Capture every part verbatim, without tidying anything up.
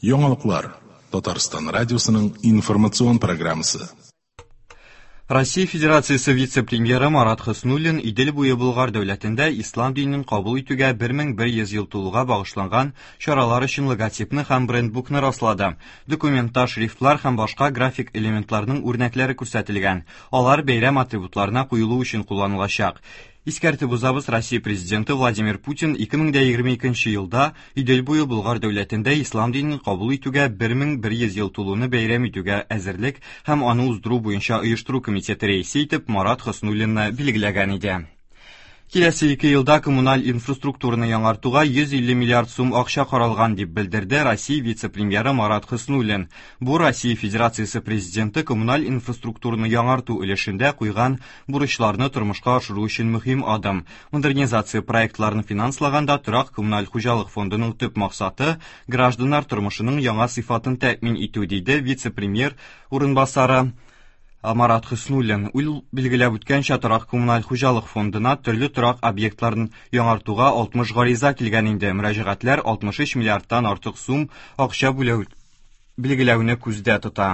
Яңалыклар. Татарстан радиосының информацион программасы. Россия Федерациясе вице-премьеры Марат Хөснуллин Идел буе Болгар дәүләтендә ислам динен кабул итүгә бер мең бер йөз ел тулуга багышланган чаралар өчен логотипны һәм брендбукны раслады. Документта шрифтлар һәм башка график элементларның үрнәкләре күрсәтелгән. Алар бәйрәм атрибутларына куелу өчен кулланылачак. Искәртеп узабыз, Россия президенты Владимир Путин ике мең дә егерме икенче елда Идел буе Болгар дәүләтендә ислам динен кабул итүгә бер мең бер йөз ел тулуны бәйрәм итүгә әзерлек һәм аны уздыру буенча оештыру комитеты рәисе итеп Марат Хөснуллинны билгеләгән иде. Киләсе ике елда коммуналь инфраструктураны яңартуга йөз илле миллиард сум акча каралган, дип белдерде Россия вице-премьеры Марат Хөснуллин. Бу Россия Федерациясе президенты коммуналь инфраструктураны яңарту өлешендә куйган бурычларны тормышка ашыру өчен мөһим адым. Модернизация проектларын финанслаганда торак коммуналь хуҗалык фондының төп максаты гражданнар тормышының яңа сыйфатын тәэмин итү, диде вице-премьер урынбасары Марат Хөснуллин. Ул билгеләп үткәнчә, торак коммуналь хуҗалык фондына төрле торак объектларын яңартуга алтмыш гариза килгән инде. Мөрәҗәгатьләр алтмыш өч миллиардтан артык сум акча бүләү билгеләүне күздә тота.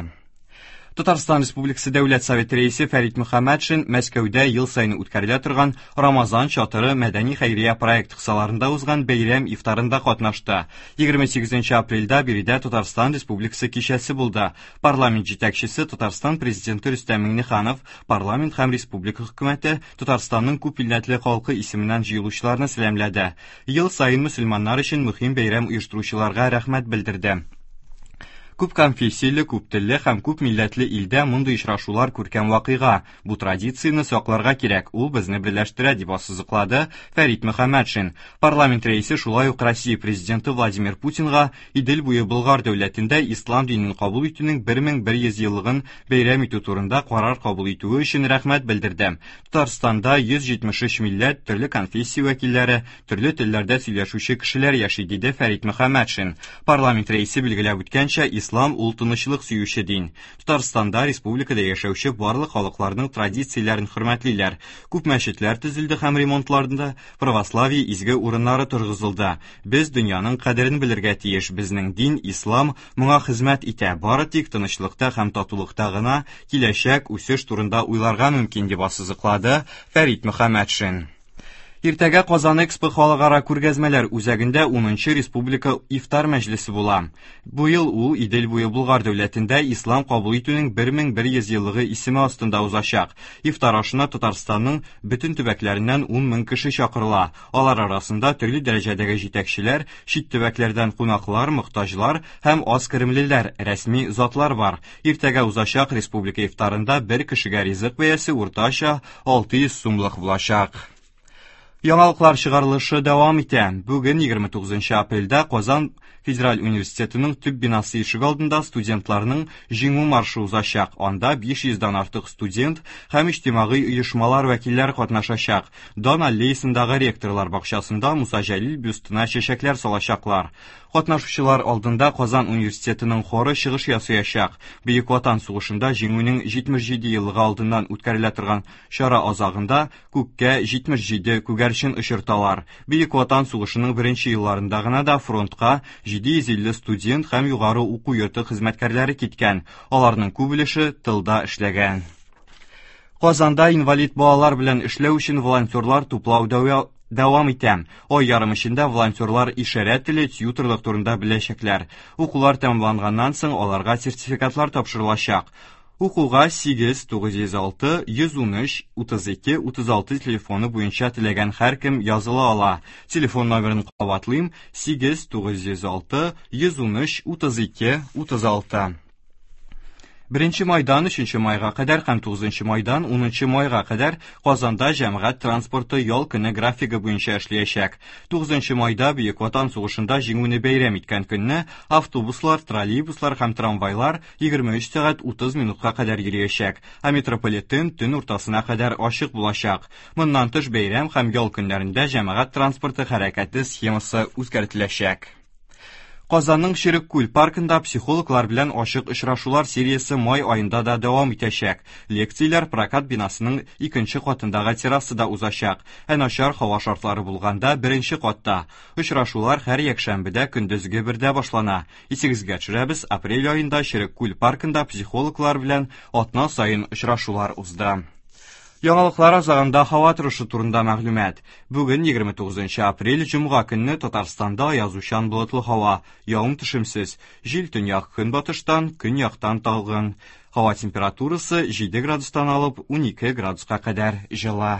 Татарстан Республикасы Дәүләт Советы рәисе Фәрит Мөхәммәтшин Мәскәүдә ел саен үткәрелә торган Рамазан чатыры мәдәни хәйрия проект кысаларында узган бәйрәм ифтарында катнашты. Егерме сигезенче апрельдә биредә Татарстан Республикасы кичәсе булды. Парламент җитәкчесе Татарстан президенты Рөстәм Миңнеханов, парламент һәм республика хөкүмәте Татарстанның күп милләтле халкы исеменнән җыелучыларны сәламләде. Ел саен мөселманнар өчен мөһим бәйрәм оештыручыларга рәхмәт белдерде. Күп конфессияле, күп телле һәм күп милләтле илдә мондый очрашулар күркәм вакыйга. Бу традицияне сакларга кирәк, ул безне берләштерә, дип ассызыклады Фәрит Мөхәммәтшин. Парламент рәисе шулай ук Россия президенты Владимир Путинга Идел буе Болгар дәүләтендә ислам динен кабул итүнең бер мең бер йөз еллыгын бәйрәм итү турында карар кабул итүе өчен рәхмәт белдерде. Татарстанда йөз җитмеш өч милләт, төрле конфессия вәкилләре, төрле телләрдә сөйләшүче кешеләр яши, диде Фәрит Мөхәммәтшин. Парламент рәисе билгеләп үткәнчә, Ислам ул тынычлык сөюче дин. Татарстанда республикада яшәүче барлык халыкларның традицияләрен хөрмәтлиләр. Күп мәчетләр төзелде һәм ремонтларында православие изге урыннары торгызылды. Без дөньяның кадерен белергә тиеш. Безнең дин ислам моңа хезмәт итә. Бары тик тынычлыкта һәм татулыкта гына киләчәк үсеш турында уйларга мөмкин, дип ассызыклады Фәрит Мөхәммәтшин. Иртәгә Казан Экспо халыкара күргәзмәләр үзәгендә унынчы республика ифтар мәҗлесе була. Бу ел ул Идел буе Болгар дәүләтендә ислам кабул итүнең бер мең бер йөз еллыгы исеме астында узачак. Ифтар ашына Татарстанның бөтен төбәкләреннән ун мең кеше чакырыла. Алар арасында төрле дәрәҗәдәге җитәкчеләр, чит төбәкләрдән кунаклар, мохтаҗлар һәм аз керемлеләр, рәсми затлар бар. Иртәгә узачак республика ифтарында бер кешегә ризык бәясе уртача алты йөз сумлык булачак. Яңалыклар чыгарылышы дәвам итә. Бүген егерме тугызынчы апрельдә Казан Федераль университетының төп бинасы ишегалдында студентларның җиңү маршы узачак. Анда биш йөздән артык студент һәм иҗтимагый оешмалар вәкилләре катнашачак. Дан аллеясындагы ректорлар бакчасында Муса Җәлил бюстына чәчәкләр салачаклар. Катнашучылар алдында Казан университетының хоры чыгыш ясаячак. Бөек Ватан сугышында җиңүнең җитмеш җиде еллыгы алдыннан үткәрелә торган чара азагында күккә җитмеш җиде күгәрчен очырталар. Бөек Ватан сугышының беренче елларында гына да фронтка җиде йөз илле студент һәм югары уку йорты хезмәткәрләре киткән. Аларның күп өлеше тылда эшләгән. Казанда инвалид балалар белән эшләү өчен волонтерлар туплау дәва-, дәвам итә. Ай ярым эчендә волонтерлар ишарә теле, тьюторлык турында беләчәкләр. Укулар тәмамланганнан соң аларга сертификатлар тапшырылачак. Укуга сигез, тугыз йөз алты, йөз ун өч, утыз ике, утыз алты телефоны буенча теләгән һәркем языла ала. Телефон номерын кабатлыйм: сигез, тугыз йөз алты, йөз ун өч, утыз ике, утыз алты. Беренче майдан өченче майга кадәр һәм тугызынчы майдан унынчы майга кадәр Казанда җәмәгать транспорты ял көне графигы буенча эшләячәк. Тугызынчы майда Бөек Ватан сугышында җиңүне бәйрәм иткән көнне автобуслар, троллейбуслар һәм трамвайлар егерме өч сәгать утыз минутка кадәр йөриячәк, ә метрополитен төн уртасына кадәр ачык булачак. Моннан тыш бәйрәм һәм ял көннәрендә җәмәгать транспорты хәрәкәте схемасы үзгәртеләчәк. Казанның Черек күл паркында психологлар белән ачык очрашулар сериясе май аенда да дәвам итәчәк. Лекцияләр прокат бинасының икенче катындагы террасада узачак. Ә начар һава шартлары булганда беренче катта. Очрашулар һәр якшәмбедә көндезге бердә башлана. Исегезгә төшерәбез, апрель аенда Черек күл паркында психологлар белән атна саен очрашулар узды. Яңалыклар азагында һава торышы турында мәгълүмат. Бүген егерме тугызынчы апрель, җомга көнне Татарстанда аязучан болытлы һава, явым-төшемсез. Җил төньяк көнбатыштан, көньяктан талгын. Һава температурасы җиде градустан алып унике градуска кадәр җылы.